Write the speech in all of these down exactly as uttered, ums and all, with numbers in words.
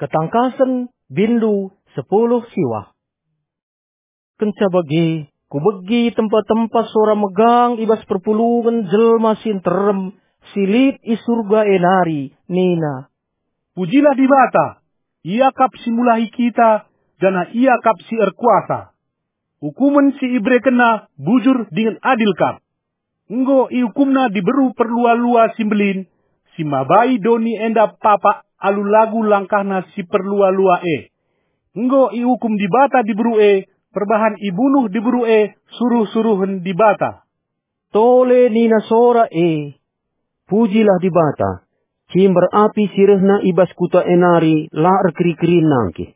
Ketangkasen, bindu, sepuluh siwah. Kenca bage, kubegi tempa-tempa sora megang i bas perpulungen jelma si nterem, si lit i Surga e nari, nina, "Pujilah Dibata! Ia kap si mulahi kita, janah Ia kap si erkuasa. Ukumen si iberekenNa bujur dingen adil kap. Enggo iukumNa diberu perlua-lua si mbelin, si mabai doni enda papak alu lagu langkahna si perlua-lua e. Enggo iukum Dibata diberu e, perbahan ibunuh diberu e suruh-suruhen Dibata." Tole nina sora e, "Pujilah Dibata! Cimber api si rehna i bas kuta e nari la erkeri-kerin nangkih."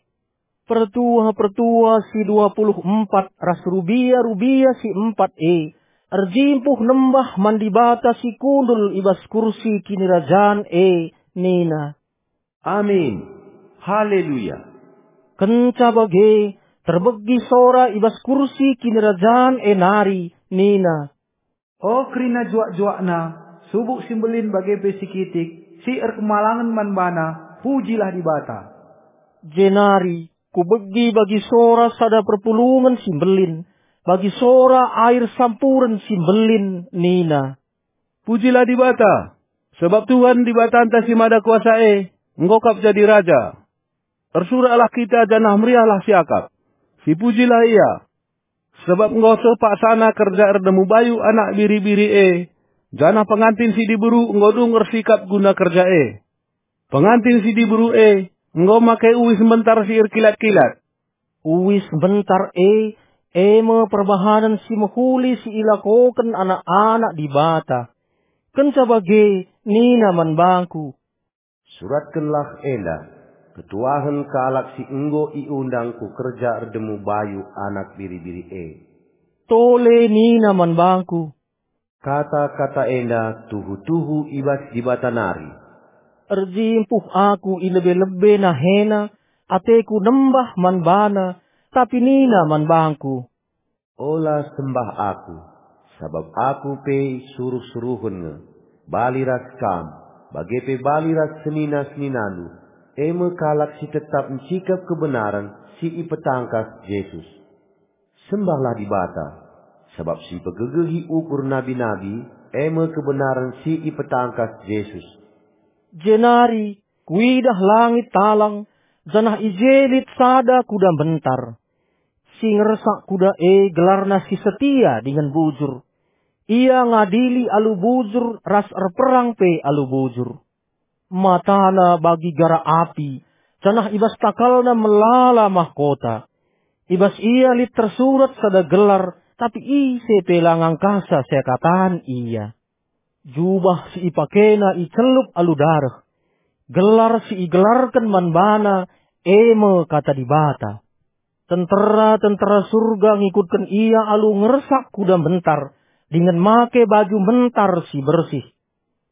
Pertua-pertua si dua puluh empat ras rubia-rubia si empat e erjimpuh nembah man Dibata si kundul i bas kursi kinirajan e, nina, "Amin! Haleluya!" Kenca bage, terbegi sora i bas kursi kinirajan e nari, nina, "O kerina juak-juakna, subuk si mbelin bage pe si kitik, si erkemalangen man baNa, pujilah Dibata!" Jenari kubegi bagi sora sada perpulungen si mbelin, bagi sora air sampuren si mbelin, nina, "Pujilah Dibata, sabap Tuhan Dibatanta si Mada Kuasa e enggo kap jadi Raja. Ersuraklah kita janah meriahlah siakap. Sipujilah Ia, sabap enggo seh paksana kerja erdemu bayu Anak Biri-biri e, janah pengantin si diberu enggo dung ersikap guna kerja e. Pengantin si diberu e enggo make uis mbentar si erkilat-kilat." Uis mbentar e, e me perbahanen si mehuli si ilakoken anak-anak Dibata. Kenca bage, nina man bangku, "Suratkenlah enda, ketuahen kalak si enggo iundang ku kerja erdemu bayu Anak Biri-biri e." Tole nina man bangku, "Kata-kata enda tuhu-tuhu i bas Dibata nari." Erjimpuh aku i lebe-lebe nahena, ateku nembah man bana, tapi nina man bangku, "Ola sembah aku, sabap aku pe suruh-suruhen nge, bali ras kam, bage pe bali ras senina-seninandu, e me kalak si tetap ncikap kebenaren si ipetangkas Jesus. Sembahlah Dibata, sabap si pegegehi ukur nabi-nabi, e me kebenaren si ipetangkas Jesus." Jenari kuidah langit talang, janah i je lit sada kuda mbentar. Si ngersak kuda e gelarna si setia dingen bujur. Ia ngadili alu bujur ras erperang pe alu bujur. Matana bagi gara api, janah i bas takalna melala mahkota. I bas ia lit tersurat sada gelar, tapi ise pe la ngangkasa seakatan ia. Jubah si ipakena icelup alu dareh. Gelar si igelarken man bana, e me Kata Dibata. Tentera-tentera Surga ngikutken ia alu ngersak kuda mbentar, dingen make baju mbentar si bersih.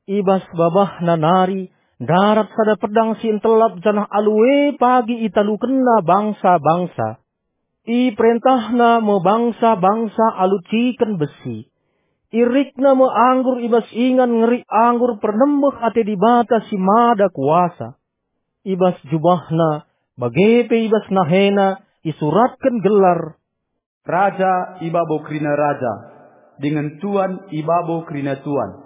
I bas babahna nari ndarat sada pedang si ntelap, janah alu e pagi italukenna bangsa-bangsa. Iperentahna me bangsa-bangsa alu ciken besi. Irikna me anggur i bas ingan ngeri anggur pernembeh ate Dibata si Mada Kuasa. I bas jubahna, bage pe i bas nahena, isuratken gelar, "Raja i babo kerina raja, dingen Tuan i babo kerina tuan."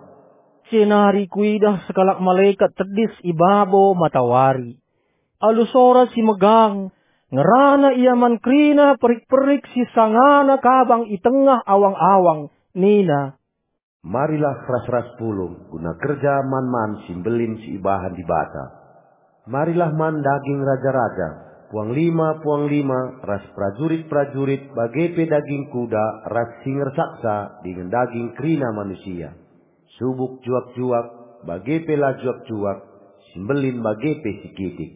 Jenari kuidah sekalak malekat tedis i babo matawari. Alu sora si megang, ngerana ia man kerina perik-perik si sangana kabang i tengah awang-awang, nina, "Marilah ras-ras pulung guna kerja man-man si mbelin si ibahan Dibata. Marilah man daging raja-raja, puanglima-puanglima ras perajurit-perajurit, bage pe daging kuda ras si ngersaksa dingen daging kerina manusia, subuk juak-juak, bage pe la juak-juak, si mbelin bage pe si kitik."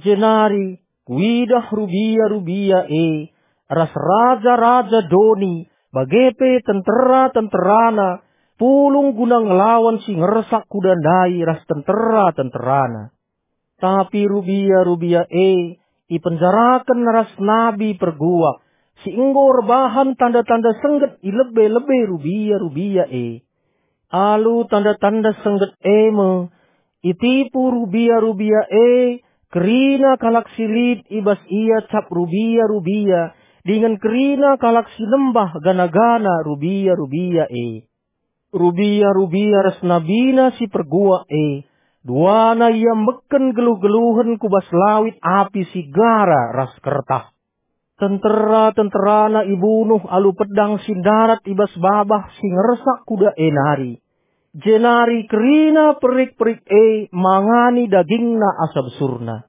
Jenari kuidah rubia-rubia e, ras raja-raja doni, bage pe tentera-tenterana, pulung guna ngelawan si ngersak kuda ndai ras tentera-tenterana. Tapi rubia-rubia e ipenjaraken ras nabi perguak, si enggo erbahan tanda-tanda sengget i lebe-lebe rubia-rubia e. Alu tanda-tanda sengget e me, itipu rubia-rubia e Kerina kalak si lit i bas ia cap rubia-rubia, dingen kerina kalak si nembah gana-gana rubia-rubia e. Rubia-rubia ras nabina si perguak e, duana ia meken geluh-geluhen ku bas lawit api si gara ras kertah. Tentera-tenterana ibunuh alu pedang si ndarat i bas babah si ngersak kuda e nari. Jenari kerina perik-perik e mangani dagingna asa besurna.